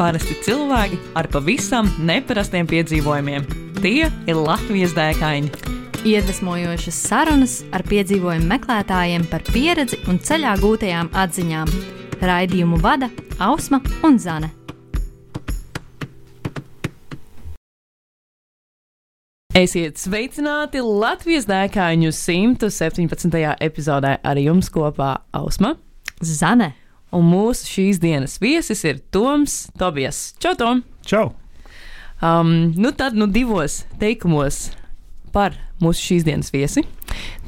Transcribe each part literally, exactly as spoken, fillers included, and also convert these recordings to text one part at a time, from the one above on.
Parasti cilvēki ar pavisam neparastiem piedzīvojumiem. Tie ir Latvijas dēkaini. Iedvesmojošas sarunas ar piedzīvojumu meklētājiem par pieredzi un ceļā gūtajām atziņām. Raidījumu vada Ausma un Zane. Esiet sveicināti Latvijas dēkaiņu simt septiņpadsmitajā epizodē. Ar jums kopā Ausma, Zane. Un mūsu šīs dienas viesis ir Toms Tobijas. Čau, Tom! Čau! Um, nu tad, nu divos teikumos par mūsu šīs dienas viesi.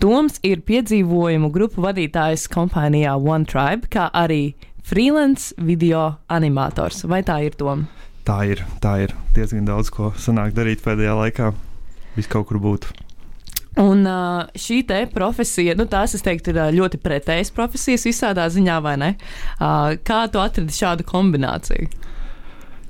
Toms ir piedzīvojumu grupu vadītājs kompānijā One Tribe, kā arī freelance video animators. Vai tā ir, Tom? Tā ir, tā ir. Diezgan daudz, ko sanāk darīt pēdējā laikā. Viss kaut kur būtu. Un uh, šī te profesija, nu tās, es teiktu, ir ļoti pretējas profesijas visādā ziņā, vai ne? Uh, kā tu atradi šādu kombināciju?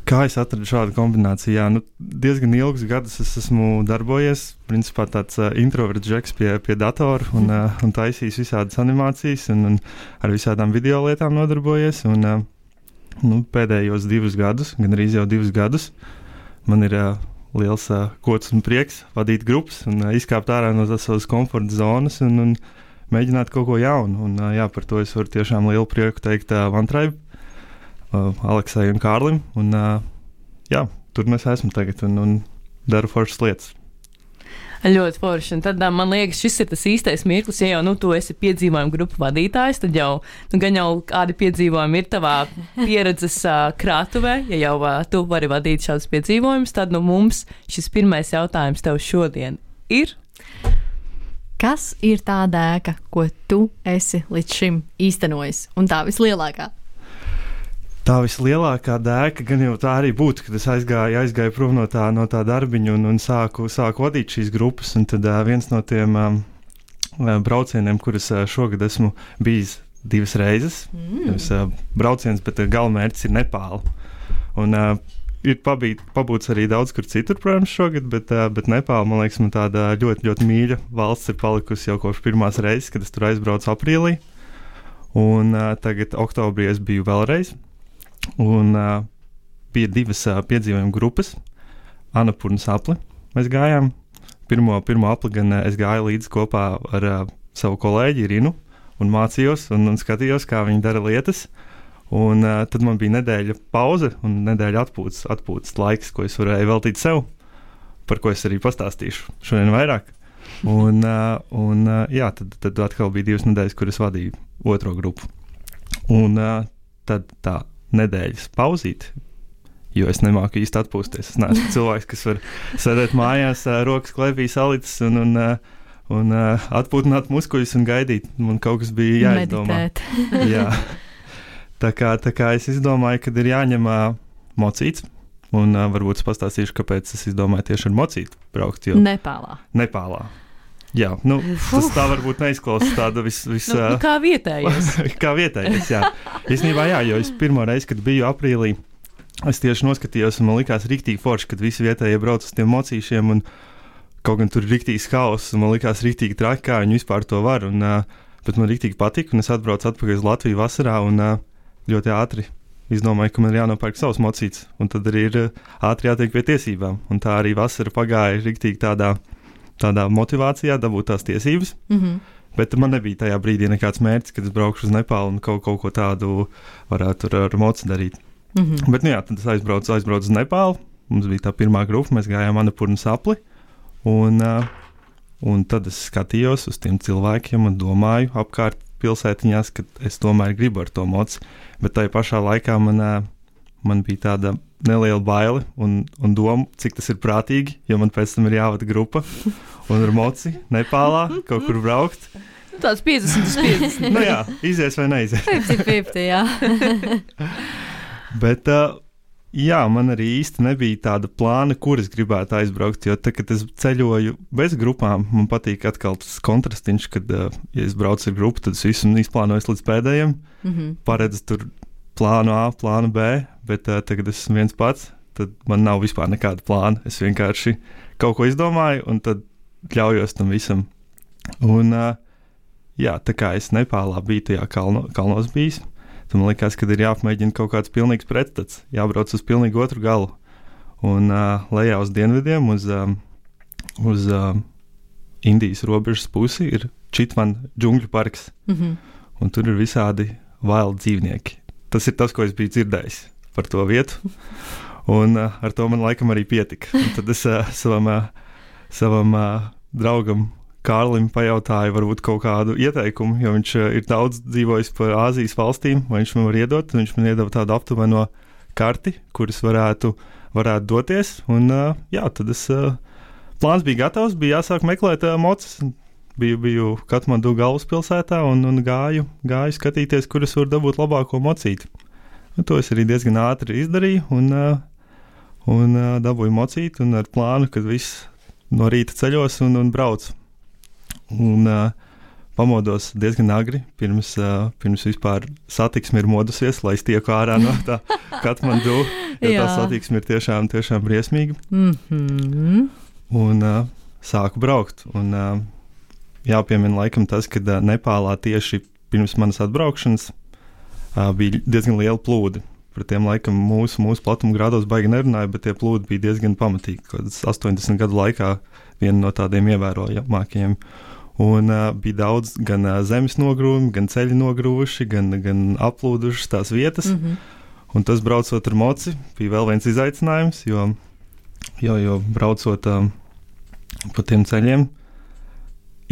Kā es atradu šādu kombināciju? Jā, nu, diezgan ilgus gadus es esmu darbojies. Principā tāds uh, introverts džeks pie, pie datora un, uh, un taisījis visādas animācijas un, un ar visādām video lietām nodarbojies. Un, uh, nu, pēdējos divus gadus, gan arī jau divus gadus, man ir uh, liels uh, gods un prieks vadīt grupas un uh, izkāpt ārā no savas komforta zonas un, un mēģināt kaut ko jaunu. Un, uh, jā, par to es varu tiešām lielu prieku teikt uh, One Tribe, uh, Aleksai un Kārlim. Un, uh, jā, tur mēs esam tagad un, un daru foršas lietas. Ļoti forši. Un tad man liekas, šis ir tas īstais mirklis, ja jau nu, tu esi piedzīvojumu grupu vadītājs, tad jau, nu, gan jau kādi piedzīvojumi ir tavā pieredzes uh, krātuvē, ja jau uh, tu vari vadīt šādus piedzīvojumus, tad nu, mums šis pirmais jautājums tev šodien ir. Kas ir tā dēka, ko tu esi līdz šim īstenojis? Un tā vislielākā? Tā vislielākā dēka gan jau tā arī būtu, kad es aizgāju, aizgāju prom no tā, no tā darbiņa un, un sāku, sāku vadīt šīs grupas. Un tad uh, viens no tiem um, braucieniem, kurus uh, šogad esmu bijis divas reizes, mm. Nevis, uh, brauciens, bet uh, galvenmērķis ir Nepāla. Un uh, ir pabīt, pabūts arī daudz kur citur, protams, šogad, bet, uh, bet Nepāla, man liekas, man tāda ļoti, ļoti mīļa valsts ir palikusi jau kopš pirmās reizes, kad es tur aizbraucu aprīlī. Un uh, tagad oktobrī es biju vēlreiz. Un uh, bija divas uh, piedzīvojuma grupas. Annapurnas apli mēs gājām. Pirmo, pirmo apli gan uh, es gāju līdzi kopā ar uh, savu kolēģi Irinu un mācījos un, un skatījos, kā viņi dara lietas. Un uh, tad man bija nedēļa pauze un nedēļa atpūtas, atpūtas laiks, ko es varēju veltīt sev, par ko es arī pastāstīšu šodien vairāk. Un, uh, un uh, jā, tad, tad atkal bija divas nedēļas, kur es vadīju otro grupu. Un uh, tad tā nedēļas pauzīt, jo es nemāku īsti atpūsties. Es neesmu cilvēks, kas var sēdēt mājās, rokas klēpī salicis un, un, un atpūtināt muskuļus un gaidīt. Man kaut kas bija jāizdomā. Jā. Tā kā, tā kā es izdomāju, ka ir jāņem mocīts, un varbūt es pastāstīšu, kāpēc es izdomāju tieši ar mocītu braukt. Jo Nepālā. Nepālā. Jā, nu, tas tā varbūt neizklausās tāda vis... vis nu, nu, kā vietējais. kā vietējais, jā. Īstenībā jā, jo es pirmo reizi, kad biju aprīlī, es tieši noskatījos un man likās riktīgi forši, kad visi vietējie brauc uz tiem mocīšiem un kaut gan tur ir riktīgs haoss un man likās riktīgi traki, kā viņi vispār to var. Un, bet man riktīgi patika un es atbraucu atpakaļ uz Latviju vasarā un ļoti ātri izdomāju, ka man ir jānopērk savs mocīts un tad arī ir ātri jātiek pie tiesībām. Un tā arī vasara pagāja riktīgi tādā tādā motivācijā dabūt tās tiesības, mm-hmm. bet man nebija tajā brīdī nekāds mērķis, kad es braukšu uz Nepālu un kaut, kaut ko tādu varētu ar, ar moci darīt. Mm-hmm. Bet, nu jā, tad es aizbraucu, aizbraucu uz Nepālu, mums bija tā pirmā grupa, mēs gājām Annapurnas apli, un, uh, un tad es skatījos uz tiem cilvēkiem un domāju apkārt pilsētiņās, ka es tomēr gribu ar to moci, bet tajā pašā laikā man, uh, man bija tāda neliela baile un, un doma, cik tas ir prātīgi, jo man pēc tam ir jāvada grupa un ar moci Nepālā kaut kur braukt. Nu, tāds piecdesmit uz piecdesmit. Nu jā, izies vai neizies. piecdesmit piecdesmit, jā. Bet uh, jā, man arī īsti nebija tāda plāna, kur es gribētu aizbraukt, jo tad, kad es ceļoju bez grupām, man patīk atkal tas kontrastiņš, kad, uh, ja es braucu ar grupu, tad es visu izplānoju līdz pēdējiem, mm-hmm. paredzu tur plānu A, plānu B, bet uh, tagad es esmu viens pats, tad man nav vispār nekāda plāna. Es vienkārši kaut ko izdomāju un tad ļaujos tam visam. Un uh, jā, tā kā es Nepālā biju tajā kalno, kalnos bijis, Tad man likās, ka ir jāapmēģina kaut kāds pilnīgs pretstats, jābrauc uz pilnīgi otru galu. Un uh, lejā uz dienvidiem, uz, um, uz uh, Indijas robežas pusi ir Čitvan džungļu parks. Mm-hmm. Un tur ir visādi wild dzīvnieki. Tas ir tas, ko es biju dzirdējis par to vietu. Un uh, ar to man laikam arī pietika. Un tad es uh, savam, uh, savam uh, draugam Kārlim pajautāju varbūt kaut kādu ieteikumu, jo viņš uh, ir daudz dzīvojis pa Āzijas valstīm, vai viņš man var iedot. Viņš man iedeva tādu aptuveno karti, kuras varētu, varētu doties. Un uh, jā, tad es, uh, plāns bija gatavs, bija jāsāk meklēt uh, mocis. Biju, biju Katmandu galvaspilsētā un, un gāju, gāju skatīties, kuras var dabūt labāko mocīti. Un to es arī diezgan ātri izdarīju un, uh, un uh, dabūju mocīti un ar plānu, kad viss no rīta ceļos un, un braucu. Un uh, pamodos diezgan agri, pirms, uh, pirms vispār satiksme ir modusies, lai es tieku ārā no tā Katmandu, jo tā satiksme ir tiešām, tiešām briesmīga. Mm-hmm. Un uh, sāku braukt. Un, uh, jāpiemina laikam tas, ka uh, Nepālā tieši pirms manas atbraukšanas uh, bija diezgan liela plūdi. Par tiem laikam mūsu, mūsu platuma grādos baigi nerunāja, bet tie plūdi bija diezgan pamatīgi. Kādas astoņdesmit gadu laikā viena no tādiem ievērojamākajiem. Un uh, bija daudz gan uh, zemes nogrūmi, gan ceļi nogrūvuši, gan, gan aplūdušas tās vietas. Mm-hmm. Un tas braucot ar moci bija vēl viens izaicinājums, jo, jo, jo braucot um, pa tiem ceļiem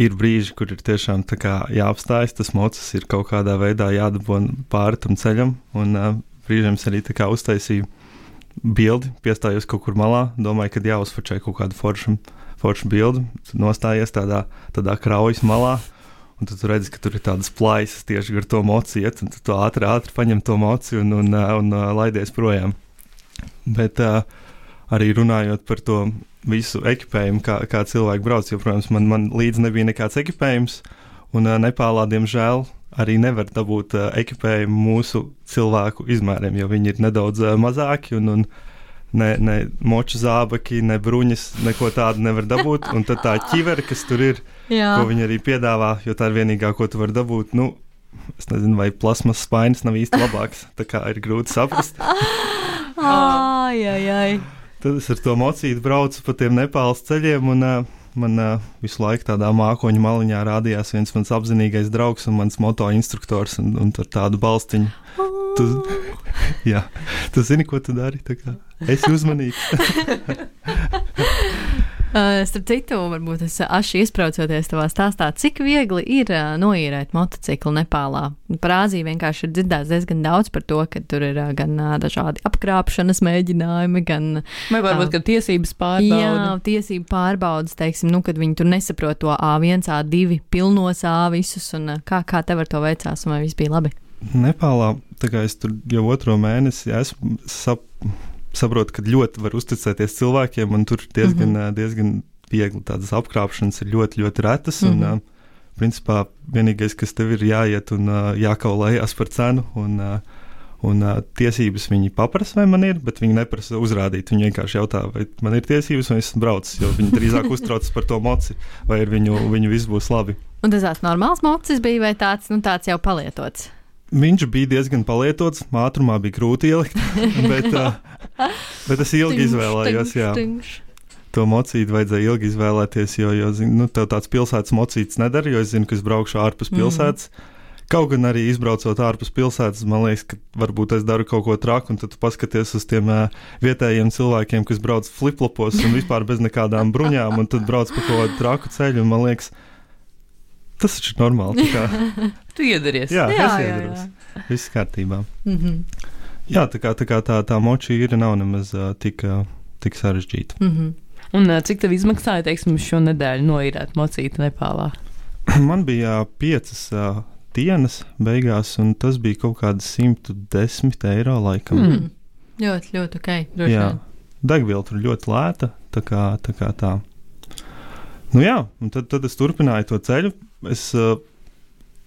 ir brīži, kur ir tiešām tā kā jāapstājas, tas mocis ir kaut kādā veidā jādabon pāri tam ceļam. Un uh, brīžiem es arī tā kā uztaisīju bildi, piestājos kaut kur malā, domāju, kad jāuzfočē kaut kādu foršu, foršu bildi, nostājies tādā, tādā kraujas malā, un tad tu redzi, ka tur ir tādas plaisas tieši gar to moci iet, un tu ātri, ātri paņem to moci un, un, un, un laidies projām. Bet uh, arī runājot par to visu ekipējumu, kā, kā cilvēki brauc, jo, protams, man, man līdz nebija nekāds ekipējums, un uh, Nepālā, diemžēl, arī nevar dabūt uh, ekipējumu mūsu cilvēku izmēriem, jo viņi ir nedaudz uh, mazāki, un, un ne, ne moču zābaki, ne bruņas, neko tādu nevar dabūt, un tad tā ķivere, kas tur ir, Jā. Ko viņi arī piedāvā, jo tā ir vienīgā, ko tu vari dabūt, nu, es nezinu, vai plasmas spainis nav īsti labāks, tā kā ir grūti saprast. Ai, ai, ai. Tad es ar to mocīti braucu pa tiem Nepāles ceļiem, un uh, man uh, visu laiku tādā mākoņu maliņā rādījās viens mans apzinīgais draugs un mans moto instruktors, un, un ar tādu balstiņu. Tu, jā, tu zini, ko tu dari, tā kā esi uzmanīgs. Uh, starp citu, varbūt es aši izbraucoties tavā stāstā, cik viegli ir uh, noīrēt motociklu Nepālā. Par Āziju vienkārši ir dzirdēts diezgan daudz par to, ka tur ir uh, gan uh, dažādi apkrāpšanas mēģinājumi, gan... Vai varbūt, uh, ka tiesības pārbauda. Jā, tiesību pārbaudas, teiksim, nu, kad viņi tur nesaprot to A viens, A divi pilnos A visus, un uh, kā, kā tev ar to veicās, un vai viss bija labi? Nepālā, tā kā es tur jau otro mēnesi esmu sap... saprotu, ka ļoti var uzticēties cilvēkiem, un tur diezgan, mm-hmm. diezgan viegli tādas apkrāpšanas ir ļoti, ļoti retas. Mm-hmm. Un, uh, principā, vienīgais, kas tev ir jāiet un uh, jākaulējās par cenu, un, uh, un uh, tiesības viņi paprasa, vai man ir, bet viņi neprasa uzrādīt. Viņi vienkārši jautā, vai man ir tiesības, vai esmu braucis, jo viņi drīzāk uztraucas par to moci, vai ar viņu, viņu viss būs labi. Un tas tāds normāls mocis bija, vai tāds, nu, tāds jau palietots? Viņš bija diezgan palietots, ātrumā bija grūti ielikt, bet, uh, bet es ilgi tingš, izvēlējos, tingš, jā. Tingš. To mocīti vajadzēja ilgi izvēlēties, jo, jo zin, nu, tev tāds pilsētas mocītis nedara, jo es zinu, ka es braukšu ārpus pilsētas. Mm. Kaut gan arī izbraucot ārpus pilsētas, man liekas, ka varbūt es daru kaut ko traku, un tad tu paskaties uz tiem uh, vietējiem cilvēkiem, kas brauc fliplopos un vispār bez nekādām bruņām, un tad brauc pa kaut kādu traku ceļu, un man liekas, tas taču ir normāli. Tu iedaries. Jā, jā, es iedaros. Jā, jā. Viss kārtībā. Mm-hmm. Jā, tā kā tā, kā tā, tā moči ir nav nemaz uh, tik, uh, tik sarežģīta. Mm-hmm. Un uh, cik tev izmaksāja, teiksim, šo nedēļu noīrēt mocīti Nepālā? Man bija uh, piecas uh, dienas beigās, un tas bija kaut kādi simt desmit eiro laikam. Mm. Ļoti, ļoti ok. Droši jā, vien. Degviela tur ļoti lēta, tā kā tā. Kā tā. Nu jā, un tad, tad es turpināju to ceļu. Es uh,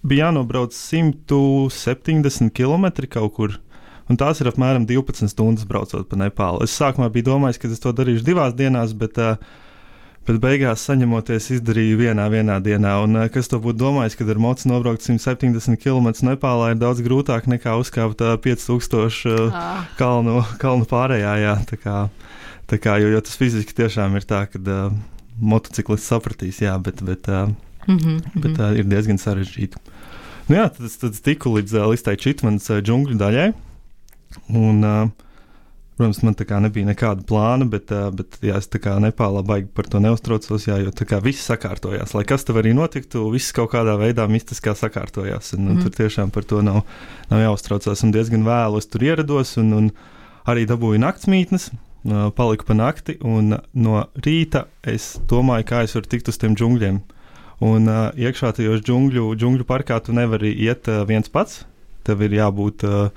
biju jānobrauc simt septiņdesmit kilometri kaut kur, un tās ir apmēram divpadsmit stundas braucot pa Nepālu. Es sākumā biju domājis, ka es to darīšu divās dienās, bet, uh, Bet beigās saņemoties izdarīju vienā, vienā dienā. Un kas to būtu domājis, kad ar mocu nobraukt simt septiņdesmit kilometrus Nepālā ir daudz grūtāk nekā uzkāpt pieci tūkstoši ah. kalnu, kalnu pārējā. Jā, tā kā, tā kā, jo, jo tas fiziski tiešām ir tā, ka uh, motociklists sapratīs, jā, bet, bet, uh, mm-hmm. bet uh, ir diezgan sarežģīti. Nu jā, tad, tad tiku līdz, līdz tai Čitmanas džungļu daļai. Un, uh, protams, man tā kā nebija nekāda plāna, bet, uh, bet jā, es tā kā Nepālā baigi par to neuztraucos, jā, jo tā kā viss sakārtojās. Lai kas tev arī notiktu, viss kaut kādā veidā mistiskā sakārtojās. Un, mm. un tur tiešām par to nav, nav jāuztraucās. Un diezgan vēlu es tur ierados un, un arī dabūju naktsmītnes, uh, paliku pa nakti. Un no rīta es domāju, kā es varu tikt uz tiem džungļiem. Un uh, iekšā tajos džungļu, džungļu parkā tu nevari iet uh, viens pats. Tev ir jābūt uh,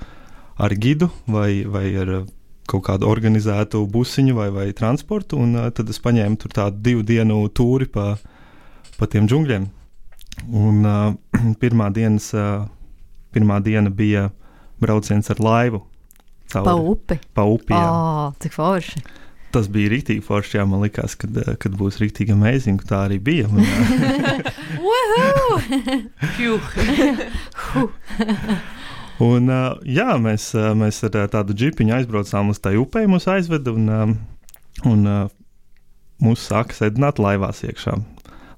ar gidu vai, vai ar uh, kaut kādu organizētu busiņu vai, vai transportu, un uh, tad es paņēmu tur tādu divu dienu tūri pa, pa tiem džungļiem. Un uh, pirmā, dienas, uh, pirmā diena bija brauciens ar laivu. Cauri, pa upi? Pa upi, jā. Oh, cik forši. Tas bija rīktīgi forši, jā, man likās, kad, kad būs rīktīgi amazing, tā arī bija. Un, Un, uh, jā, mēs, uh, mēs ar uh, tādu džipiņu aizbraucām uz tai upei, mūs aizveda un, um, un uh, mūs sāka sēdināt laivās iekšā.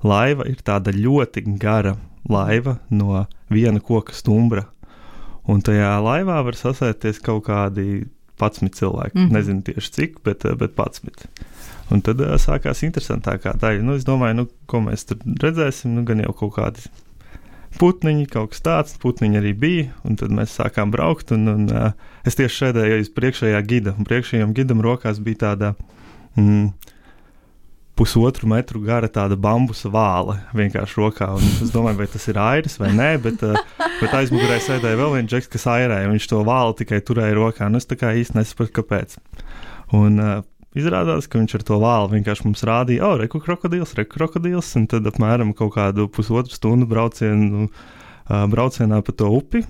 Laiva ir tāda ļoti gara laiva no viena koka stumbra. Un tajā laivā var sasēties kaut kādi padsmit cilvēki. Mm-hmm. Nezinu tieši cik, bet, bet padsmit. Un tad uh, sākās interesantākā daļa. Nu, es domāju, nu, ko mēs tur redzēsim, nu, gan jau kaut kādi putniņi, kaut kas tāds, putniņi arī bija, un tad mēs sākām braukt, un, un uh, es tieši šēdēju aiz priekšējā gida, un priekšējām gidam rokās bija tāda mm, pusotru metru gara tāda bambusa vāle vienkārši rokā, un es domāju, vai tas ir airis vai nē, bet, uh, bet aizmugurē sēdēja vēl viens džeks, kas airēja, un viņš to vāli tikai turēja rokā, un es tā kā īsti nesapratu, kāpēc. Un uh, izrādās, ka viņš ar to vāli vienkārši mums rādīja, o, reku krokodils, reku krokodils, un tad apmēram kaut kādu pusotru stundu braucienu, uh, braucienā pa to upi.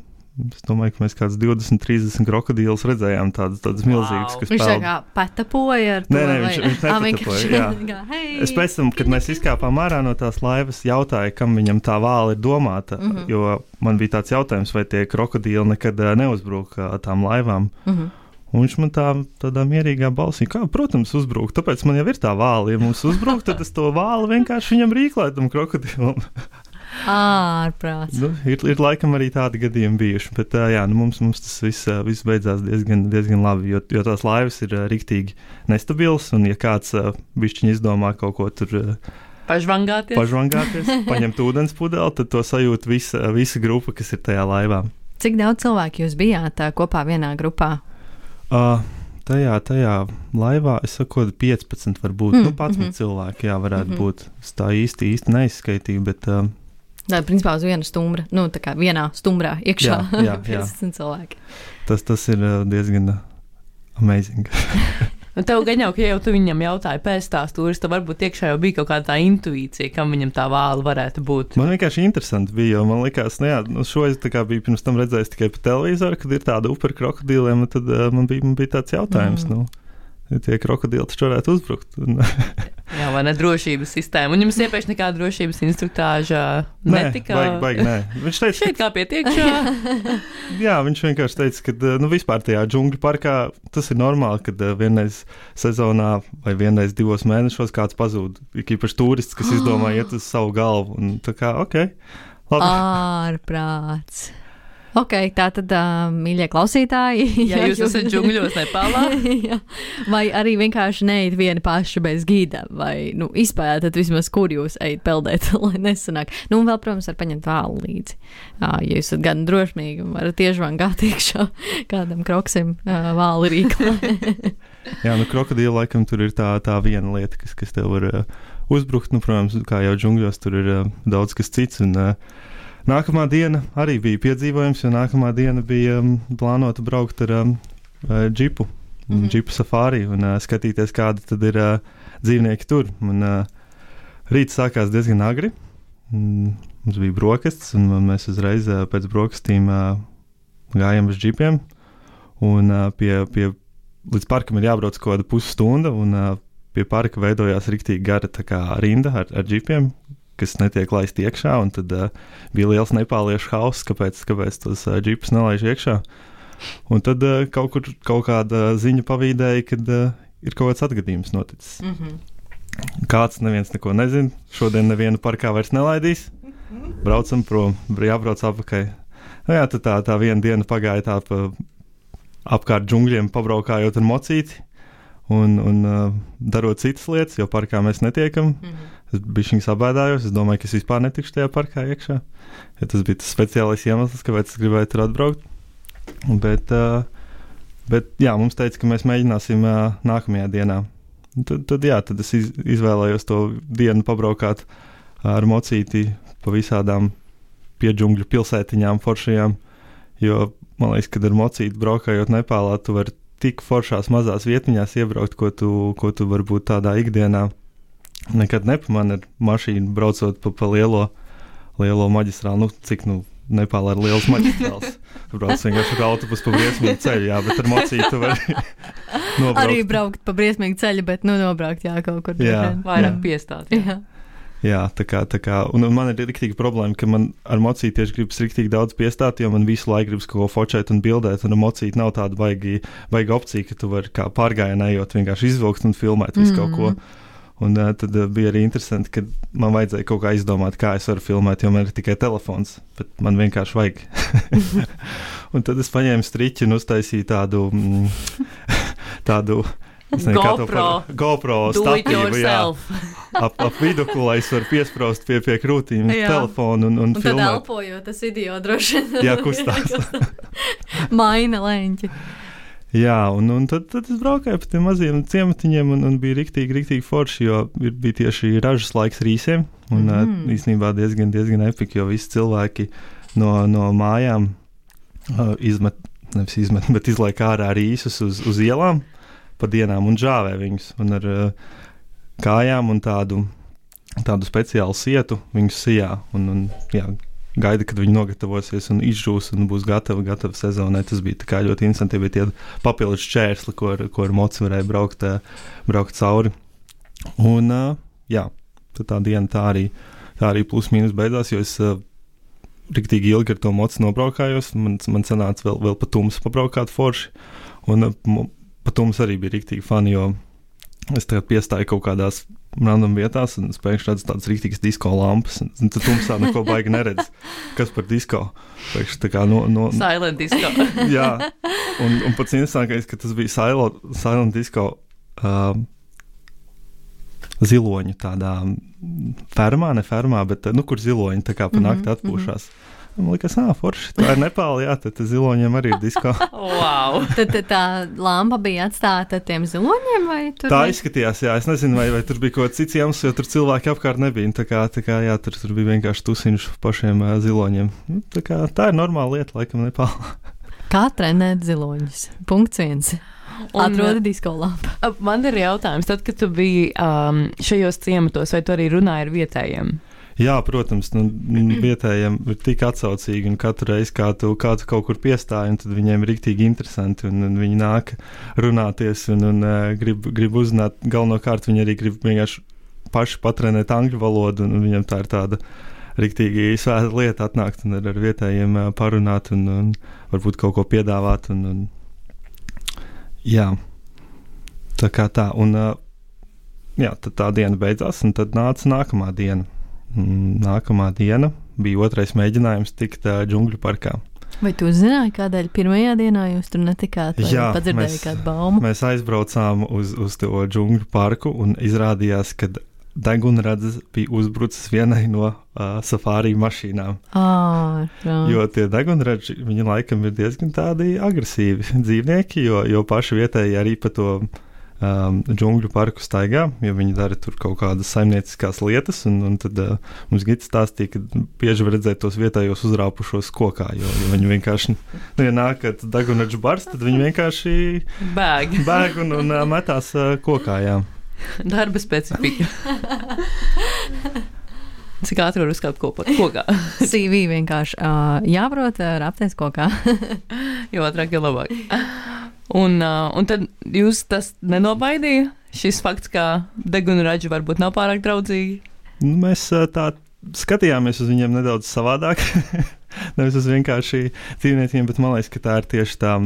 Es domāju, ka mēs kāds divdesmit trīsdesmit krokodīlus redzējām, tādas, tādas milzīgas, wow. kas viņš peld. Viņš tā kā patapoja ar to? Nē, nē, viņš, viņš nepatapoja, jā. Hey, es pēc tam, kad mēs izkāpām ārā no tās laivas, jautāju, kam viņam tā vāla ir domāta, mm-hmm. jo man bija tāds jautājums, vai tie krokodīli nekad uh, neuzbruk uh, tām laivām. Mm-hmm. Un viņš man tā, tādā mierīgā balsī, kā, protams, uzbruk, tāpēc man jau ir tā vāla. Ja mums uzbruk, tad es to vāli vienkārši viņam rīklēju, tam krokodilam. Ārprāts. Nu, ir, ir laikam arī tādi gadījumi bijuši, bet jā, nu, mums, mums tas viss, viss beidzās diezgan, diezgan labi, jo, jo tās laivas ir riktīgi nestabils, un ja kāds bišķiņ izdomā kaut ko tur pažvangāties, pažvangāties paņemt ūdens pudeli, tad to sajūt visa, visa grupa, kas ir tajā laivā. Cik daudz cilvēku jūs bijāt kopā vienā grupā? Uh, tajā, tajā laivā, es saku, piecpadsmit varbūt, mm, nu, padsmit mm-hmm. cilvēki, jā, varētu mm-hmm. būt. Es tā īsti, īsti neizskaitīju, bet... Uh, tā, principā uz viena stumbra, nu, tā kā vienā stumbrā iekšā, jā, jā, piecpadsmit cilvēki. Tas, tas ir uh, diezgan amazing. Nu, tev gan jau, ka jau tu viņam jautāji pēc tās tūris, tad varbūt iekšā jau bija kaut kāda tā intuīcija, kam viņam tā vāla varētu būt. Man vienkārši interesanti bija, jo man likās, nu jā, nu šo es tā kā biju pirms tam redzējis tikai pa televizoru, kad ir tāda upe ar krokodīliem, tad uh, man, bija, man bija tāds jautājums, mm. nu, tie krokodīli taču varētu uzbrukt. Jā, vai ne drošības sistēma. Un jums iepriekš nekāda drošības instruktāža netika? Nē, baigi, baigi, nē. Viņš teica, šeit kā pie tiekšā. Jā, viņš vienkārši teica, ka nu, vispār tajā džungļu parkā tas ir normāli, kad vienreiz sezonā vai vienreiz divos mēnešos kāds pazūd. Īpaši turists, kas izdomā iet uz savu galvu. Un tā kā, ok, labi. Ārprāts. Ok, tā tad, uh, mīļie klausītāji, ja jūs esat džungļos Nepālā, vai arī vienkārši neiet vieni paši bez gida, vai, nu, izpētat vismaz, kur jūs ejat peldēt, lai nesanāk. Nu, un vēl, protams, var paņemt vālu līdzi. Jā, ja jūs esat gan drošmīgi, varat iežvangāt iekšā kādam kroksim uh, vālu rīklā. Jā, nu, krokodīla laikam tur ir tā, tā viena lieta, kas, kas tev var uh, uzbrukt. Nu, protams, kā jau džungļos, tur ir uh, daudz kas cits, un uh, nākamā diena arī bija piedzīvojums, jo nākamā diena bija um, plānota braukt ar um, džipu, mm-hmm. džipu safāri un uh, skatīties, kādi tad ir uh, dzīvnieki tur. Un, uh, rīts sākās diezgan agri, mm, mums bija brokastis, un, un mēs uzreiz uh, pēc brokastīm uh, gājām uz džipiem, un uh, pie, pie, līdz parkam ir jābrauc kaut kāda pusstunda, un uh, pie parka veidojās riktīgi gara tā kā rinda ar, ar džipiem, kas netiek laist iekšā, un tad uh, bija liels nepāliešu hauss, kāpēc, kāpēc tos uh, džipus nelaiž iekšā. Un tad uh, kaut kur kaut kāda ziņa pavīdēja, kad uh, ir kaut kāds atgadījums noticis. Mm-hmm. Kāds neviens neko nezina, šodien nevienu parkā vairs nelaidīs, braucam prom, jābrauc apakaļ. Nu jā, tad tā, tā viena diena pagāja tā pa apkārt džungļiem, pabraukājot ar mocīti un, un uh, darot citas lietas, jo parkā mēs netiekam. Mm-hmm. Es bišķiņ sabēdājos, es domāju, ka es vispār netikšu tajā parkā iekšā. Ja tas bija tas speciālais iemesls, kāpēc es gribēju tur atbraukt. Bet, uh, bet jā, mums teica, ka mēs mēģināsim uh, nākamajā dienā. Tad, tad jā, tad es iz, izvēlējos to dienu pabraukāt ar mocīti pa visādām piedžungļu pilsētiņām foršajām, jo man liekas, kad ar mocīti braukājot Nepālā, tu vari tik foršās mazās vietiņās iebraukt, ko tu, ko tu varbūt tādā ikdienā nekad nepamani ar mašīnu braucot pa, pa lielo, lielo maģistrālu. Nu, cik, nu, Nepālā ir liels maģistrāls. Tu brauc vienkārši ar autobusu pa briesmīgu ceļu, jā, bet ar mocīti tu vari nobraukt. Arī braukt pa briesmīgu ceļu, bet nu nobraukt, jā, kaut kur. Jā, vairāk piestāt. Jā. jā. Jā, tā kā, tā kā, un man ir riktīgi problēma, ka man ar mocīti tieši gribas riktīgi daudz piestāt, jo man visu laiku gribas kaut ko fočēt un bildēt, un ar mocīti nav tāda baigi, baigi opcija, ka tu vari kā pārgājienā ejot vienkārši izvilkt un filmēt visu mm-hmm. kaut ko. Un uh, tad uh, bija arī interesanti, ka man vajadzēja kaut kā izdomāt, kā es varu filmēt, jo man ir tikai telefons, bet man vienkārši vajag. Un tad es paņēmu striķi un uztaisīju tādu, mm, tādu, es nezinu, kā to par GoPro statīvu, jā, ap, ap viduklu, lai es varu piespraust pie, pie krūtīm telefonu un, un, un filmēt. Un tad elpojot, tas video droši. Jā, kustās. Maina leņķi. Jā, un, un tad, tad es braukāju pa tiem maziem ciematiņiem un, un bija riktīgi, riktīgi forši, jo ir, bija tieši ražas laiks rīsiem, un mm. īstenībā diezgan, diezgan epiki, jo visi cilvēki no, no mājām uh, izmet, nevis izmet, bet izlaik ārā rīsus uz, uz ielām pa dienām un žāvē viņus, un ar uh, kājām un tādu, tādu speciālu sietu viņus sijā, un, un jā, gaida, kad viņi nogatavosies un izžūs un būs gatavi, gatavi sezonai. Tas bija tā kā ļoti interesanti, bija tie papildus šķērsli, ko ar, ko ar moci varēja braukt, braukt cauri. Un, jā, tad tā diena tā arī, tā arī plus mīnus beidzās, jo es riktīgi ilgi ar to moci nobraukājos. Man, man sanāca vēl, vēl pa tums pabraukāt forši. Un pa tums arī bija riktīgi fani, jo es tagad piestāju kaut kādās random vietās, un es pēkšņi redzu tādas rīktīgas disko lampas, un, un tad tumsā neko baigi neredz. Kas par disko? Pēkšņi tā kā no... no silent disco. Jā, un, un pats interesantākais, ka tas bija silent, silent disco uh, ziloņu tādā fermā, ne fermā, bet, nu, kur ziloņi tā kā pa nakti mm-hmm, atpūšās. Mm-hmm. Man liekas, ā, forši, tā ir Nepāla, jā, tad ziloņiem arī ir disko. Wow! tad, tad tā lampa bija atstāta tiem ziloņiem, vai tur? Tā izskatījās, jā, es nezinu, vai, vai tur bija kaut kāds cits iemesls, jo tur cilvēki apkārt nebija, tā kā, tā kā jā, tur, tur bija vienkārši tusiņš pašiem uh, ziloņiem. Tā kā tā ir normāla lieta, laikam, Nepāla. Kā trenēt ziloņus? Punkts viens. Atrodi disko lampu. Man ir jautājums, tad, kad tu biji um, šajos ciematos, vai tu arī runāji ar vietējiem? Jā, protams, nu, vietējiem ir tik atsaucīgi, un katru reizi, kā tu, kā tu kaut kur piestāji, un tad viņiem ir riktīgi interesanti, un, un viņi nāk runāties, un, un uh, grib, grib uzzināt, galvenokārt viņi arī grib vienkārši paši patrenēt angļu valodu, un, un viņiem tā ir tāda riktīgi svēta lieta atnākt un ar, ar vietējiem uh, parunāt, un, un varbūt kaut ko piedāvāt, un, un jā, tā kā tā, un uh, jā, tad tā diena beidzās, un tad nāca nākamā diena. Nākamā diena bija otrais mēģinājums tikt uh, džungļu parkā. Vai tu zināji, kādēļ pirmajā dienā jūs tur netikāt, vai Jā, padzirdēji mēs, kādu baumu? Mēs aizbraucām uz, uz to džungļu parku un izrādījās, ka degunradzes bija uzbrucis vienai no uh, safāri mašīnām. Ah, jo tie degunradži, viņi laikam ir diezgan tādi agresīvi dzīvnieki, jo, jo paši vietēji arī pa to Um, džungļu parku staigā, jo viņi dara tur kaut kādas saimnieciskās lietas, un, un tad uh, mums Gits stāstīja, ka bieži var redzēt tos vietējos uzrāpušos kokā, jo, jo viņi vienkārši, nu, ja nāk, kad dagunadžu bars, tad viņi vienkārši bēg, bēg un, un uh, metās uh, kokā, jā. Darba specifika. Cik ātri var uzkāpt kopā, kokā? C V vienkārši uh, jāprot uh, rapties kokā. Jo ātrāk, jo labāk. Un, uh, un tad jūs tas nenobaidīja, šis fakts, ka degunraģi varbūt nav pārāk draudzīgi? Nu, mēs tā skatījāmies uz viņiem nedaudz savādāk. Nevis uz vienkārši dzīvniekiem, bet man liekas, ka tā ir tieši tā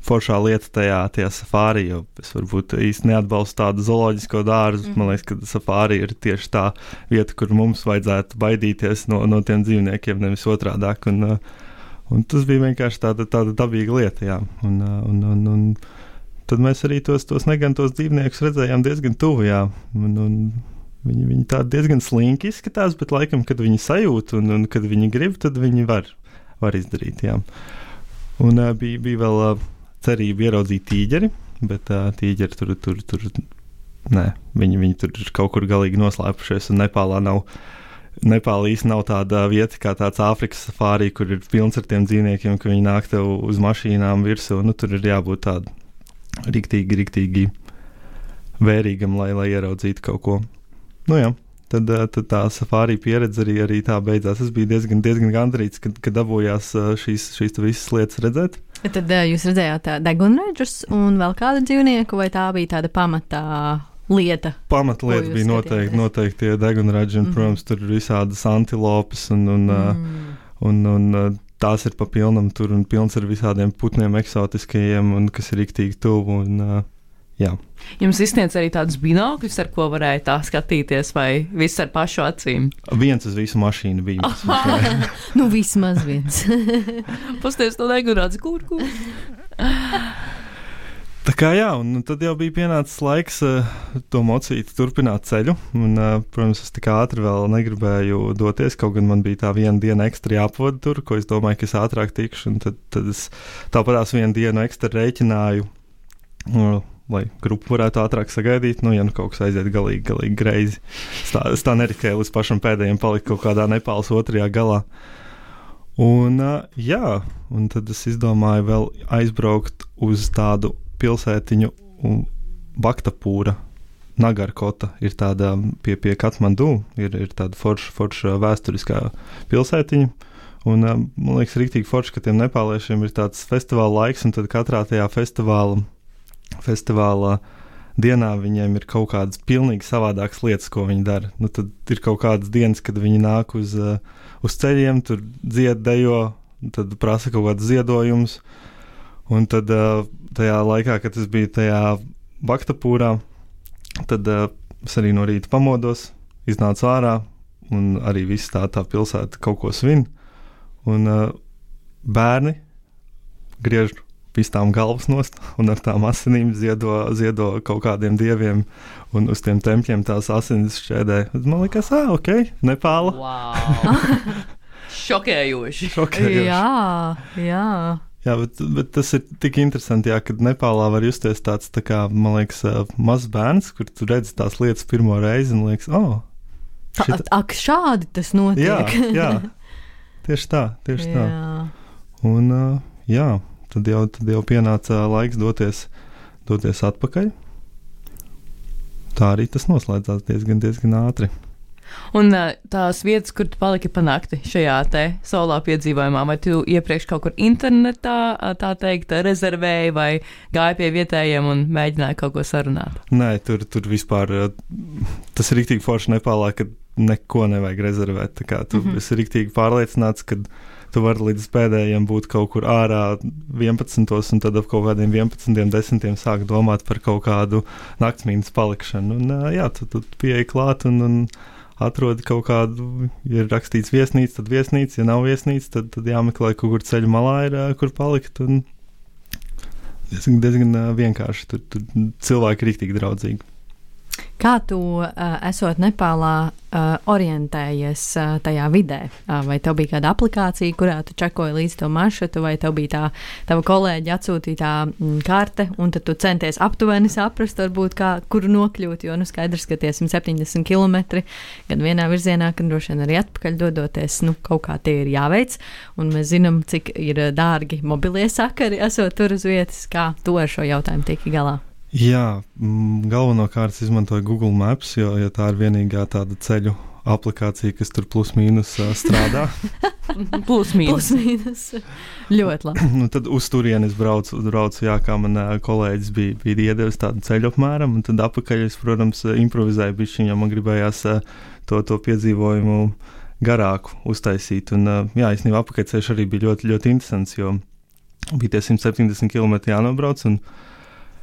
foršā lieta tajā, tajā safāri, jo es varbūt īsti neatbalstu tādu zooloģisko dārzu. Mm. Man liekas, ka safāri ir tieši tā vieta, kur mums vajadzētu baidīties no, no tiem dzīvniekiem, nevis otrādāk. Un, un tas bija vienkārši tāda, tāda dabīga lieta, jā. Un, un, un, un tad mēs arī tos, tos negantos dzīvniekus redzējām diezgan tuvu, jā. Un, un viņi, viņi tādi diezgan slinki izskatās, bet laikam, kad viņi sajūt un, un kad viņi grib, tad viņi var, var izdarīt, jā. Un uh, bija, bija vēl uh, cerība ieraudzīt tīģeri, bet uh, tīģeri tur, tur, tur, nē, viņi, viņi tur ir kaut kur galīgi noslēpušies, un Nepālā nav, Nepālā īsti nav tāda vieta kā tāds Āfrikas safārī, kur ir pilns ar tiem dzīvniekiem, ka viņi nāk tev uz mašīnām virsū, nu tur ir jābūt tādu riktīgi, riktīgi vērīgam, lai, lai ieraudzītu kaut ko. Nu jā, tad, tad tā safārī pieredze arī, arī tā beidzās. Es biju diezgan, diezgan gandarīts, kad, kad dabūjās šīs, šīs visas lietas redzēt. Tad jūs redzējāt degunraģus un vēl kādu dzīvnieku, vai tā bija tāda pamatā lieta? Pamatlieta bija noteikti, noteikti tie degunraģi, un, mm-hmm. protams, tur ir visādas antilopes, un, un, mm. un, un, un tās ir pa pilnam tur, un pilns ar visādiem putniem eksotiskajiem, un kas ir riktīgi tuvu, un jā. Jums izsniedz arī tādus binokļus, ar ko varēja tā skatīties, vai viss ar pašu acīm? Viens uz visu mašīnu bija. Nu, vismaz viens. Pasties to degunraģi, kur, kur? Tā kā jā, un tad jau bija pienācis laiks uh, to mocīti turpināt ceļu, un, uh, protams, es tik ātri vēl negribēju doties, kaut gan man bija tā viena diena ekstra jāpavada tur, ko es domāju, ka es ātrāk tikšu, un tad, tad es tāpatās vienu dienu ekstra rēķināju, uh, lai grupu varētu ātrāk sagaidīt, nu, ja nu kaut kas aiziet galīgi, galīgi greizi. Es tā, es tā neriskēju līdz pašam pēdējiem palikt kaut kādā Nepāles otrajā galā. Un, uh, jā, un tad es izdomāju vēl aizbraukt uz tādu pilsētiņu Baktapūra, Nagarkota, ir tāda pie, pie Katmandu, ir, ir tāda forša, forša vēsturiskā pilsētiņa, un uh, man liekas riktīgi forši, ka tiem nepāliešiem ir tāds festivāla laiks, un tad katrā tajā festivāla festivālā dienā viņiem ir kaut kādas pilnīgi savādākas lietas, ko viņi dara. Nu, tad ir kaut kādas dienas, kad viņi nāk uz, uh, uz ceļiem, tur dzied, dejo, tad prasa kaut kādas ziedojumus, un tad uh, tajā laikā, kad es biju tajā Baktapūrā, tad uh, es arī no rīta pamodos, iznācu ārā, un arī viss tā, tā pilsēta kaut ko svin, un uh, bērni griež pistām galvas nost un ar tām asinīm ziedo, ziedo kaut kādiem dieviem un uz tiem tempļiem tās asinis šķēdē. Man liekas, ā, ok, Nepāla. Wow. Šokējoši. Šokējoši. Jā, jā. Jā, bet, bet tas ir tik interesanti, jā, kad Nepālā var justies tāds, tā kā, man liekas, mazs bērns, kur tu redzi tās lietas pirmo reizi un liekas, oh. Šita... Ak, šādi tas notiek. Jā, jā. Tieši tā, tieši tā. Jā. Un, uh, jā. Tad jau, tad jau pienāca laiks doties, doties atpakaļ. Tā arī tas noslēdzās diezgan, diezgan ātri. Un tās vietas, kur tu paliki pa nakti šajā te solā piedzīvojumā, vai tu iepriekš kaut kur internetā, tā teikt, rezervēji vai gāji pie vietējiem un mēģināji kaut ko sarunāt? Nē, tur, tur vispār, tas ir riktīgi forši Nepālā, kad neko nevajag rezervēt. Tā kā tu mm-hmm. esi riktīgi pārliecināts, kad tu vari līdz pēdējiem būt kaut kur ārā vienpadsmitos, un tad ap kaut kādiem vienpadsmitiem, desmitiem sāk domāt par kaut kādu naktsmītnes palikšanu. Un jā, tu, tu pieeji klāt un, un atrodi kaut kādu, ja ir rakstīts viesnīca, tad viesnīca, ja nav viesnīca, tad, tad jāmeklē kaut kur ceļu malā ir, kur palikt, un diezgan, diezgan vienkārši, tur, tur cilvēki ir riktīgi draudzīgi. Kā tu, uh, esot Nepālā, uh, orientējies uh, tajā vidē? Uh, vai tev bija kāda aplikācija, kurā tu čekoji līdz to maršrutu, vai tev bija tā tava kolēģi atsūtītā mm, karte, un tad tu centies aptuveni saprast, varbūt, kā, kur nokļūt, jo, nu, skaidrs, ka tie simt septiņdesmit kilometri gan vienā virzienā, gan droši vien arī atpakaļ dodoties, nu, kaut kā tie ir jāveic, un mēs zinām, cik ir dārgi mobilie sakari, esot tur uz vietas, kā tu ar šo jautājumu tiki galā. Jā, galvenokārt izmantoju Google Maps, jo, jo tā ir vienīgā tāda ceļu aplikācija, kas tur plus mīnus uh, strādā. Plus mīnus. Plus mīnus. Ļoti labi. Nu, tad uz turieni es braucu, braucu jā, kā man uh, kolēģis bija, bija iedevis tādu ceļu apmēram, un tad apakaļ es, protams, improvizēju bišķiņ, jo man gribējās uh, to, to piedzīvojumu garāku uztaisīt. Un, uh, jā, īstenībā apakaļceļš arī bija ļoti, ļoti interesants, jo bija tie simt septiņdesmit kilometri jānobrauc, un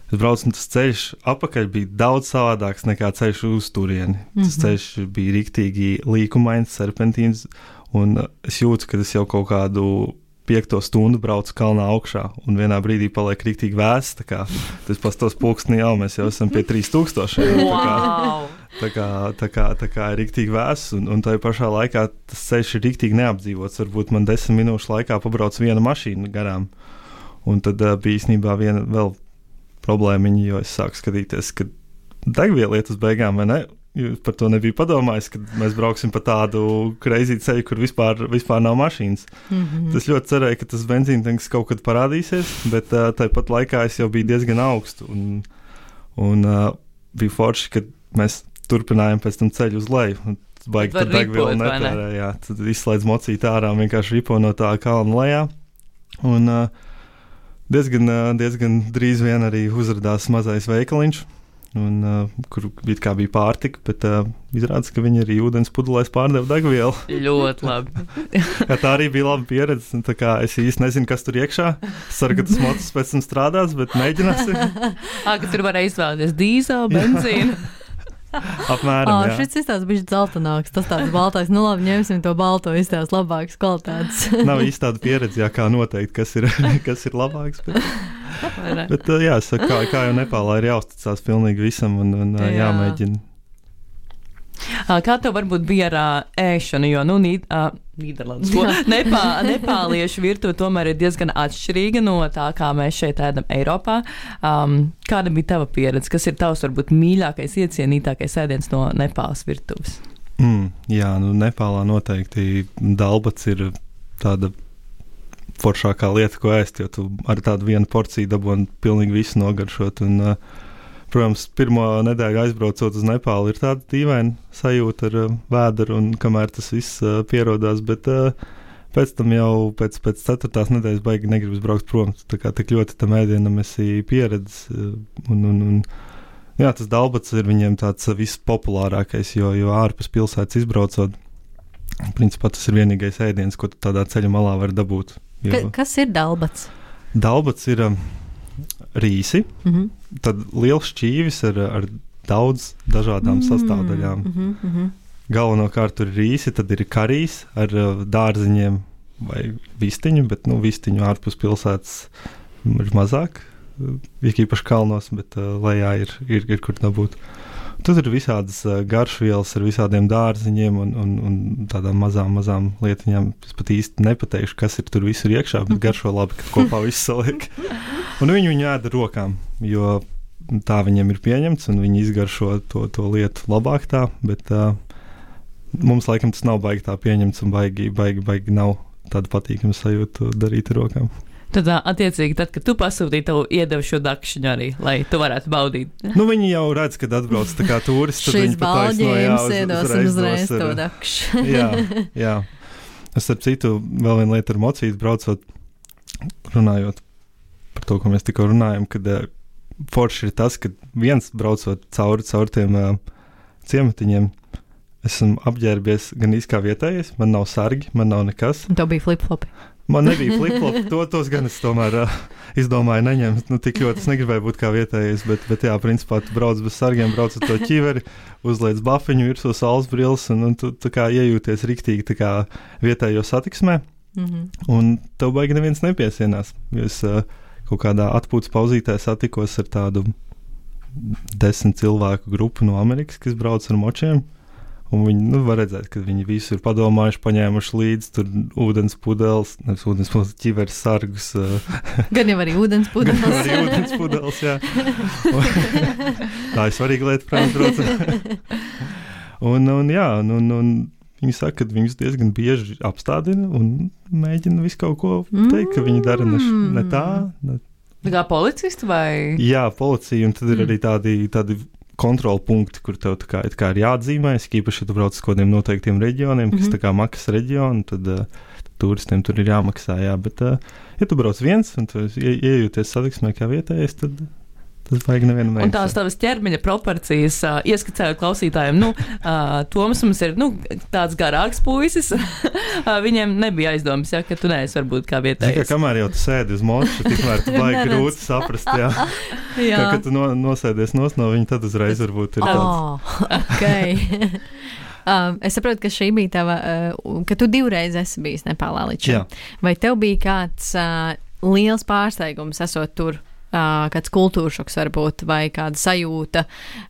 es braucu, un tas ceļš apakaļ bija daudz savādāks nekā ceļš uz turieni. Mm-hmm. Tas ceļš bija riktīgi līkumains, serpentīns, un es jūtu, ka es jau kaut kādu piekto stundu braucu kalnā augšā, un vienā brīdī paliek riktīgi vēss, tā kā tas pastos pulkstni jau, mēs jau esam pie trīs tūkstošiem. Wow! Tā kā, tā kā, tā kā ir riktīgi vēss, un, un tajā pašā laikā tas ceļš ir riktīgi neapdzīvots. Varbūt man desmit minūšu laikā pabrauc viena mašīna garām, un tad uh, bija īstenībā viena vēl problēmiņa, jo es sāku skatīties, ka degviela iet uz beigām, vai ne? Jūs par to nebija padomājis, ka mēs brauksim pa tādu crazy ceļu, kur vispār, vispār nav mašīnas. Mm-hmm. Es ļoti cerēju, ka tas benzīntanks kaut kad parādīsies, bet uh, tāpat laikā es jau biju diezgan augstu, un, un uh, bija forši, ka mēs turpinājām pēc tam ceļu uz leju. Baigi tad degviela netērē, jā, tad izslēdz mocīt ārā un vienkārši ripo no tā kalna lejā. Un uh, Diezgan, diezgan drīz vien arī uzrādījās mazais veikaliņš, un, uh, kur kā bija pārtika, bet uh, izrādās, ka viņi arī ūdens pudelēs pārdeva degvielu. Ļoti labi. Jā, tā arī bija laba pieredze. Tā kā es īsti nezinu, kas tur iekšā. Es ceru, ka tas mocis pēc tam strādās, bet mēģināsim. Ā, ka tur varēja izvēlēties dīzeli, benzīnu. Apmēram, jā. Šis izstāsts bija dzeltenāks, tas tāds baltais, nu labi, ņemsim to balto, izstāsts labāks kvalitātes. Nav īsti tāda pieredze, jā, kā noteikt, kas ir, kas ir labāks, bet, bet jā, es saku, kā, kā jau Nepālā ir jāuzticās pilnīgi visam un, un jā. jāmēģina. Kā tev varbūt bija ar uh, ēšanu, jo, nu, Nīd, uh, Nīderlandes, Nepā, nepāliešu virtuve tomēr ir diezgan atšķirīga no tā, kā mēs šeit ēdam Eiropā. Um, kāda bija tava pieredze? Kas ir tavs, varbūt, mīļākais, iecienītākais ēdiens no Nepāles virtuves? Mm, jā, nu, Nepālā noteikti dalbats ir tāda foršākā lieta, ko ēst, jo tu ar tādu vienu porciju dabūni pilnīgi visu nogaršot, un uh, protams, pirmo nedēļu aizbraucot uz Nepālu ir tāda dīvaina sajūta ar uh, vēderu, un kamēr tas viss uh, pierodās, bet uh, pēc tam jau pēc, pēc ceturtās nedēļas baigi negribas braukt prom. Tā kā tik ļoti tam ēdienam esi pieredzis, uh, un, un, un jā, tas dalbats ir viņiem tāds uh, vispopulārākais, jo, jo ārpus pilsētas izbraucot, principā tas ir vienīgais ēdiens, ko tu tādā ceļa malā var dabūt. Jo... Ka, kas ir dalbats? Dalbats ir... Um, rīsi, mm-hmm. tad liels šķīvis ar, ar daudz dažādām mm-hmm. sastāvdaļām. Mm-hmm. Galvenokārt tur ir rīsi, tad ir karīs ar uh, dārziņiem vai vistiņu, bet nu, vistiņu ārpus pilsētas ir mazāk, ir īpaši kalnos, bet uh, lejā ir, ir, ir kur dabūt. Tad ir visādas uh, garšvielas ar visādiem dārziņiem un, un, un tādām mazām, mazām lietiņām. Es pat īsti nepateikšu, kas ir tur visur iekšā, bet garšo labi, kad kopā viss saliek. Un viņi viņu ēda rokām, jo tā viņiem ir pieņemts, un viņi izgaršo to, to lietu labāk tā, bet uh, mums laikam tas nav baigi tā pieņemts, un baigi, baigi, baigi nav tāda patīkama sajūta darīt ar rokām. Tad, attiecīgi, tad, kad tu pasūtīji, tev iedeva šo dakšiņu arī, lai tu varētu baudīt. Nu, viņi jau redz, kad atbrauc tā kā turisti, tad viņi pataisno, jā, uz, iedosim uzreiz to dakšu. jā, jā. Es ar citu vēl vienu lietu ar mocītu braucot, runājot par to, ko mēs tikko runājam, kad uh, forši ir tas, ka viens braucot cauri, cauri tiem uh, ciematiņiem, esmu apģērbies gan īskā vietējais, man nav sargi, man nav nekas. Un tev bija flip-flopi. Man nebija flip-flop, to, tos gan es tomēr uh, izdomāju neņemt. Nu, tik ļoti es negribēju būt kā vietējais, bet, bet jā, principā tu brauc bez sargiem, brauc ar to ķiveri, uzliec bafiņu, virsū saules brilles, un, un tu tā kā iejūties riktīgi tā kā vietējo satiksmē, mm-hmm. un tev baigi neviens nepiesienās. Es uh, kaut kādā atpūtas pauzītē satikos ar tādu desmit cilvēku grupu no Amerikas, kas brauc ar močiem. Un viņi, nu, var redzēt, ka viņi visu ir padomājuši, paņēmuši līdzi tur ūdens pudeles, nevis ūdens pudeles, ķiveres sargus. Gan jau arī ūdens pudeles. Gan arī ūdens pudeles, jā. Tā ir svarīga lieta, protams, braucot. un, un jā, un, un, un viņi saka, ka viņus diezgan bieži apstādina un mēģina visu kaut ko teikt, ka viņi dara ne, ne tā. Ne. Tā kā policisti vai? Jā, policija, un tad ir arī tādi, tādi kontrola punkti, kur tev tā kā, tā kā ir jāatzīmē, īpaši, ja tu brauc uz kādiem noteiktiem reģioniem, kas mm-hmm. tā kā maksas reģioni, tad, uh, tad turistiem tur ir jāmaksā, jā, bet, uh, ja tu brauc viens un tu ie, iejūties satiksmē kā vietējais, tad tas vajag nevienam vajag. Un tās tavas ķermeņa proporcijas, uh, ieskicējot klausītājiem, nu, uh, Toms mums ir, nu, tāds garāks puisis, uh, viņiem nebija aizdomas, ja, ka tu neesi varbūt kā vietējais. Kā kamēr jau tu sēdi uz moča, tikmēr tu vajag grūti saprast, jā. jā. Kā, kad tu no, nosēdies nos no viņa, tad uzreiz varbūt ir tāds. Oh, ok. Um, es saprotu, ka šī bija tava, uh, ka tu divreiz esi bijis Nepālā līdz šim. Vai tev bija kāds uh, liels pārsteigums esot tur? Uh, kāds kultūršoks varbūt, vai kāda sajūta,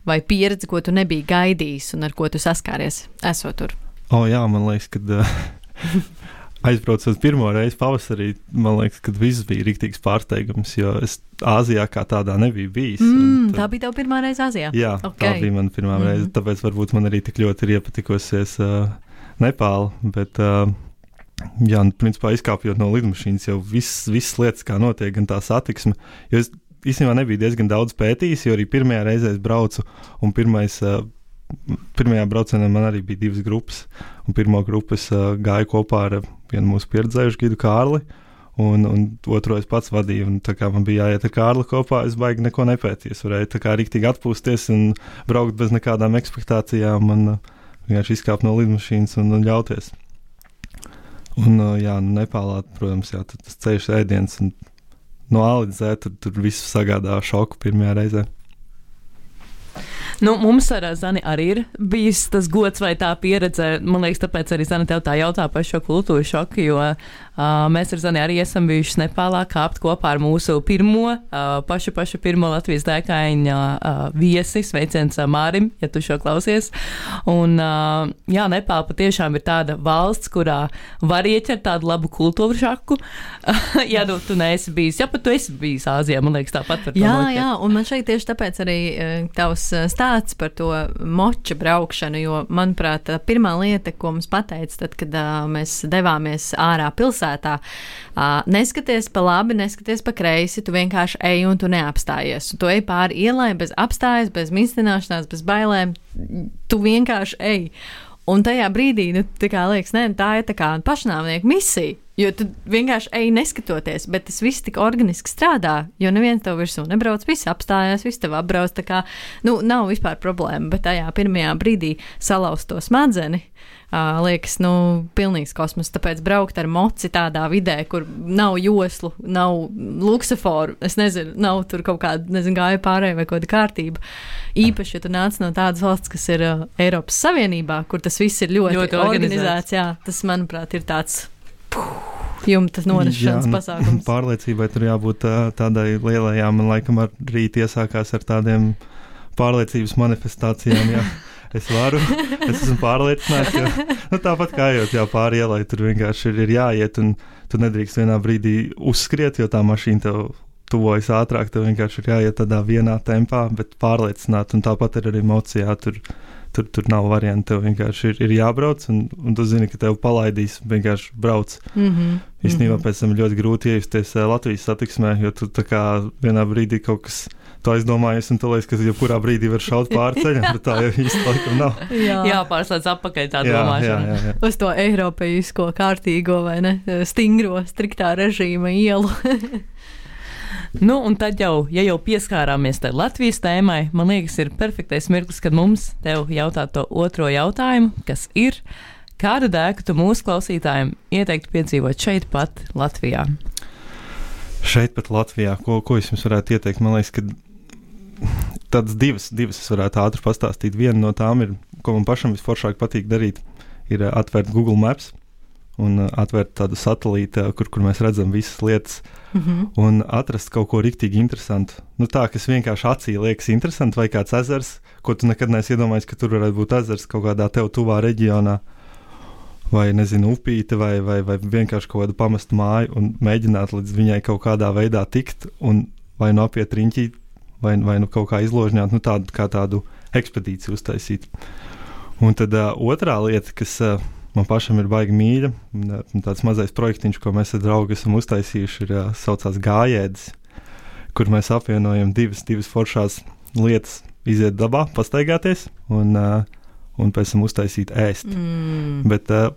vai pieredze, ko tu nebija gaidījis un ar ko tu saskāries, esot tur? O, jā, man liekas, kad uh, aizbraucot pirmo reizi pavasarī, man liekas, kad viss bija riktīgs pārsteigums, jo es Āzijā kā tādā nebija bijis. Mm, tad, tā bija tev pirmā reize Āzijā? Jā, okay. Tā bija mana pirmā mm. reize, tāpēc varbūt man arī tik ļoti ir iepatikusies uh, Nepāla, bet... Uh, Jā, un principā izkāpjot no lidmašīnas jau viss, viss lietas, kā notiek, gan tā satiksme, jo es īstenībā nebiju diezgan daudz pētījis, jo arī pirmajā reizē es braucu, un pirmais, uh, pirmajā braucienā man arī bija divas grupas, un pirmo grupu es uh, gāju kopā ar vienu mūsu pieredzējušu gidu Kārli, un, un otro es pats vadīju, un tā kā man bija jāiet ar Kārli kopā, es baigi neko nepētīju, es varēju tā kā riktīgi atpūsties un braukt bez nekādām ekspektācijām, un uh, vienkārši izkāpt no lidmašīnas un, un ļauties. Un, jā, Nepālā, protams, jā, tas ceļš ēdiens, un no A līdz Z tur, tur viss sagādā šoku pirmajā reizē. Nu, mums ar Zani arī ir bijis tas gods vai tā pieredze. Man liekas, tāpēc arī Zani tev tā jautā par šo kultūru šoku, jo uh, mēs ar Zani arī esam bijuši Nepālā kāpt kopā ar mūsu pirmo, uh, pašu pašu pirmo Latvijas dēkaiņa uh, viesi, sveiciens uh, Mārim, ja tu šo klausies. Un, uh, jā, Nepāla patiešām ir tāda valsts, kurā var ieķert tādu labu kultūru šoku. ja nu, tu neesi bijis, ja pat tu esi bijis Āzijā, man liekas, tāpat var to jā, noķert. Jā, un man šeit tieši tāpēc arī uh, tavs stāsts par to moča braukšanu, jo, manuprāt, tā pirmā lieta, ko mums pateica, tad, kad uh, mēs devāmies ārā pilsētā, uh, neskaties pa labi, neskaties pa kreisi, tu vienkārši ej un tu neapstājies. Tu ej pāri ielai bez apstājas, bez mīstināšanās, bez bailēm, tu vienkārši ej. Un tajā brīdī, nu, tā kā liekas, ne, tā ir tā kā pašnāvnieku misija, jo tu vienkārši ej neskatoties, bet tas viss tik organiski strādā, jo neviens tev virsū nebrauc, viss apstājās, viss tev apbrauc, tā kā, nu, nav vispār problēma, bet tajā pirmajā brīdī salauzt to smadzeni, uh, liekas, nu, pilnīgs kosmos, tāpēc braukt ar moci tādā vidē, kur nav joslu, nav luksaforu, es nezinu, nav tur kaut kāda, nezinu, gāja pārēja vai kaut kāda kārtība. Īpaši, ja tu nāc no tādas valsts, kas ir uh, Eiropas Savienībā, kur tas viss ir ļoti, ļoti organizēts, organizēts, jā, tas, manuprāt, ir tāds jumta nonešanas pasākums. Pārliecībai tur jābūt tā, tādai lielajām, man laikam arī iesākās ar tādiem pārliecības manifestācijām, jā. Es varu, es esmu pārliecināts, jo nu, tāpat kā ejot jā, pāri ielai, tur vienkārši ir, ir jāiet, un tu nedrīkst vienā brīdī uzskriet, jo tā mašīna tev tuvojas ātrāk, tev vienkārši ir jāiet tādā vienā tempā, bet pārliecināt, un tāpat ir arī emocijā, tur, tur, tur nav varianti, tev vienkārši ir, ir jābrauc, un, un tu zini, ka tev palaidīs, vienkārši brauc. Mm-hmm. Īstenībā mm-hmm. pēc tam ļoti grūti iejusties Latvijas satiksmē, jo tu tā kā vienā brīdī kaut kas to aizdomājies, un tu liekas, ka jebkurā brīdī var šaut pāri ceļam, bet tā jau īsti laikam nav. Jā, jā pārslēdz apakaļ tā domāšana. Jā, jā, jā. Uz to eiropeisko kārtīgo vai ne, stingro, striktā režīma ielu. Nu, un tad jau, ja jau pieskārāmies tai Latvijas tēmai, man liekas, ir perfektais mirklis, kad mums tev jautā to otro jautājumu, kas ir, kādu dēku tu mūsu klausītājiem ieteiktu piedzīvot šeit pat Latvijā? Šeit pat Latvijā, ko, ko es jums varētu ieteikt? Man liekas, ka tādas divas, divas es varētu ātri pastāstīt. Viena no tām ir, ko man pašam visforšāk patīk darīt, ir atvērt Google Maps un atvērt tādu satelītu, kur, kur mēs redzam visas lietas, mm-hmm. un atrast kaut ko riktīgi interesantu. Nu tā, kas vienkārši acī liekas interesanti, vai kāds ezers, ko tu nekad neesi iedomājies, ka tur varētu būt ezers kaut kādā tev tuvā reģionā, vai, nezinu, upīte, vai, vai, vai vienkārši kaut kādu pamestu māju, un mēģināt līdz viņai kaut kādā veidā tikt, un vai nu apiet riņķī, vai, vai nu kaut kā izložņāt, nu tādu, kā tādu ekspedīciju uztaisīt. Un tad uh, otrā lieta, kas uh, man pašam ir baigi mīļa, tāds mazais projektiņš, ko mēs ar draugu esam uztaisījuši, ir saucās Gājēdis, kur mēs apvienojam divas, divas foršās lietas. iziet dabā, pastaigāties un, uh, un pēc tam uztaisīt ēst. Mm. Bet uh,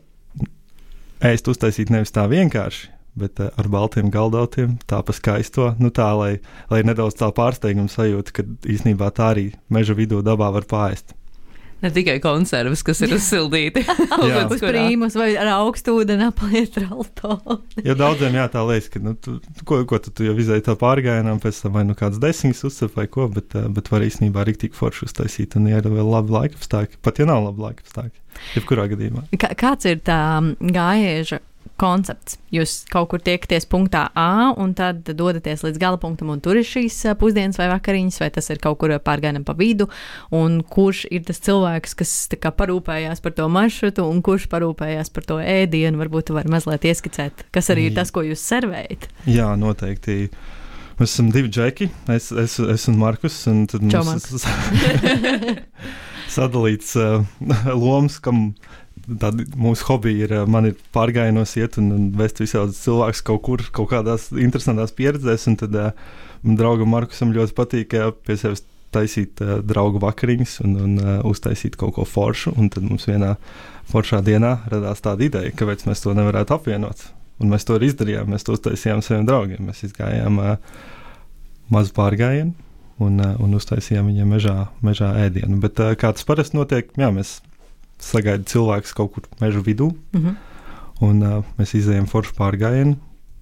ēst uztaisīt nevis tā vienkārši, bet uh, ar baltiem galdautiem, tā pa skaisto, nu tā, lai, lai nedaudz tā pārsteiguma sajūta, ka īstenībā tā arī meža vidū dabā var pārēst. Ne tikai konservas, kas ir uzsildīti. Uz prīmus vai ar augstu ūdeni apliet raltoni. Jo daudziem jā, tā liekas, ka, nu, tu, ko, ko tu, tu jau izēji tā pārgājienām, pēc tam vai nu kāds desiņas uzcep vai ko, bet, bet var īstenībā riktīgi forši uztaisīt un ir vēl labi laikapstākļi, pat ja nav labi laikapstākļi, jebkurā gadījumā. Kā, kāds ir tā gājēža koncepts? Jūs kaut kur tiekaties punktā A un tad dodaties līdz gala punktam un tur ir šīs pusdienas vai vakariņas, vai tas ir kaut kur pārgājienam pa vidu, un kurš ir tas cilvēks, kas tā kā parūpējās par to maršrutu un kurš parūpējās par to ēdienu, varbūt tu vari mazliet ieskicēt, kas arī ir tas, ko jūs servējat? Jā, noteikti. Mēs esam divi džeki, es, es, es un Markus, un tad Čau, mums sadalīts uh, lomas, kam tādi mūsu hobiji ir, man ir pārgājienos iet un, un vest visādus cilvēkus kaut kur, kaut kādās interesantās pieredzēs, un tad uh, draugam Markusam ļoti patīk uh, pie sevis taisīt uh, draugu vakariņas un, un uh, uztaisīt kaut ko foršu, un tad mums vienā foršā dienā radās tāda ideja, kāpēc mēs to nevarētu apvienot, un mēs to arī izdarījām, mēs to uztaisījām saviem draugiem, mēs izgājām uh, mazu pārgājienu un, uh, un uztaisījām viņiem mežā, mežā ēdienu, bet uh, kā tas parasti notiek, jā, mēs sagaida cilvēks kaut kur mežu vidū, mm-hmm. un uh, mēs izējām foršu pārgājienu,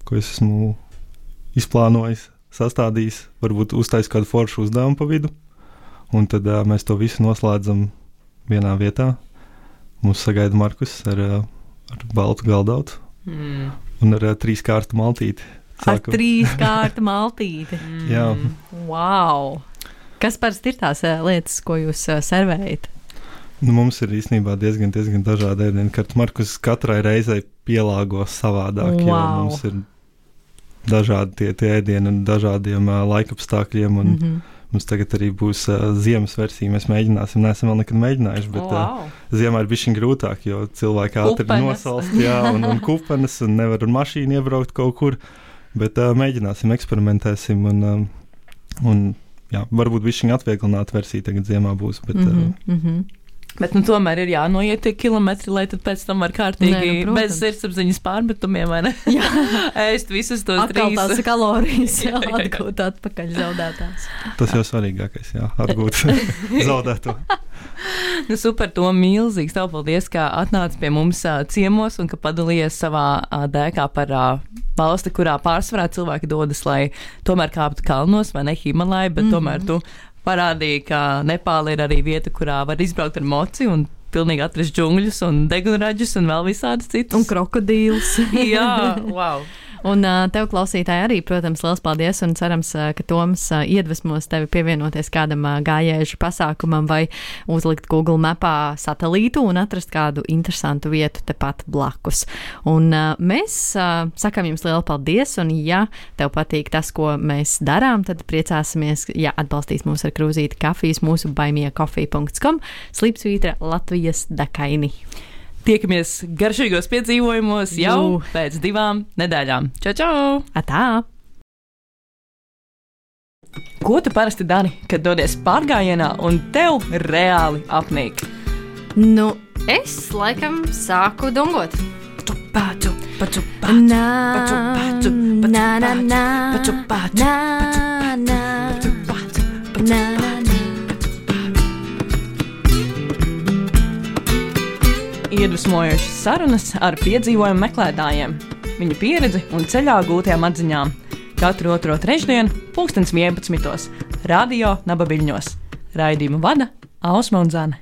ko es esmu izplānojis, sastādījis, varbūt uztais kādu foršu uzdevumu pa vidu, un tad uh, mēs to visu noslēdzam vienā vietā. Mums sagaida Markus ar, uh, ar baltu galdautu mm. un ar uh, trīs kārtu maltīti. Sākam. Ar trīs kārtu maltīti? Mm. Jā. Wow! Kas parasti ir tās uh, lietas, ko jūs uh, servējat? Nu, mums ir īstenībā diezgan, diezgan dažādi ēdieni, kad Markus katrai reizei pielāgo savādāk, wow. jo mums ir dažādi tie, tie ēdieni un dažādiem uh, laikapstākļiem, un mm-hmm. mums tagad arī būs uh, ziemas versija, mēs mēģināsim, neesam vēl nekad mēģinājuši, bet wow. uh, ziemā ir bišķiņ grūtāk, jo cilvēki ātri nosalst, jā, un, un kupenes, un nevar ar mašīnu iebraukt kaut kur, bet uh, mēģināsim, eksperimentēsim, un, uh, un jā, varbūt bišķiņ atvieglināta versija tagad ziemā būs, bet... Mm-hmm. Uh, mm-hmm. Bet nu, tomēr ir jānoiet tie kilometri, lai tad pēc tam var kārtīgi Nē, nu, bez sirdsapziņas pārmetumiem, vai ne? Jā. Ēst visus tos atkal trīs. Tās kalorijas jā, jā, jā. atgūt atpakaļ zaudētās. Tas jau svarīgākais, jā, atgūt zaudēto. Nu, super, to milzīgs tev paldies, ka atnāc pie mums uh, ciemos un ka padalījies savā uh, dēkā par uh, valsti, kurā pārsvarā cilvēki dodas, lai tomēr kāptu kalnos, vai ne Himalāja, bet mm-hmm. tomēr tu parādīja, ka Nepāla ir arī vieta, kurā var izbraukt ar moci un pilnīgi atrast džungļus un degunraģus un vēl visādas citas. Un krokodīlus. Jā, wow. Un uh, tev, klausītāji, arī, protams, liels paldies un cerams, uh, ka Toms uh, iedvesmos tevi pievienoties kādam uh, gājēžu pasākumam vai uzlikt Google mapā satelītu un atrast kādu interesantu vietu tepat blakus. Un uh, mēs uh, sakām jums lielu paldies, un ja tev patīk tas, ko mēs darām, tad priecāsimies, ja atbalstīs mūs ar krūzīti kafijas mūsu baimie coffee dot com slīpsvītra Latvijas Dakaini. Tiekamies garšīgos piedzīvojumos jau Jū. pēc divām nedēļām. Čau, čau! Atā! Ko tu parasti dari, kad dodies pārgājienā un tev reāli apnīk? Nu, es laikam sāku dungot. Paču, paču, paču, paču, nā, paču, paču, paču, nā, nā, nā, paču, paču, nā, nā, paču, paču, paču, nā, nā, nā. Iedvesmojošas sarunas ar piedzīvojumu meklētājiem, viņu pieredzi un ceļā gūtajām atziņām. Katru otro trešdienu, pulkstens vienpadsmitos, radio Naba Viļņos. Raidījumu vada Ausma un Zane.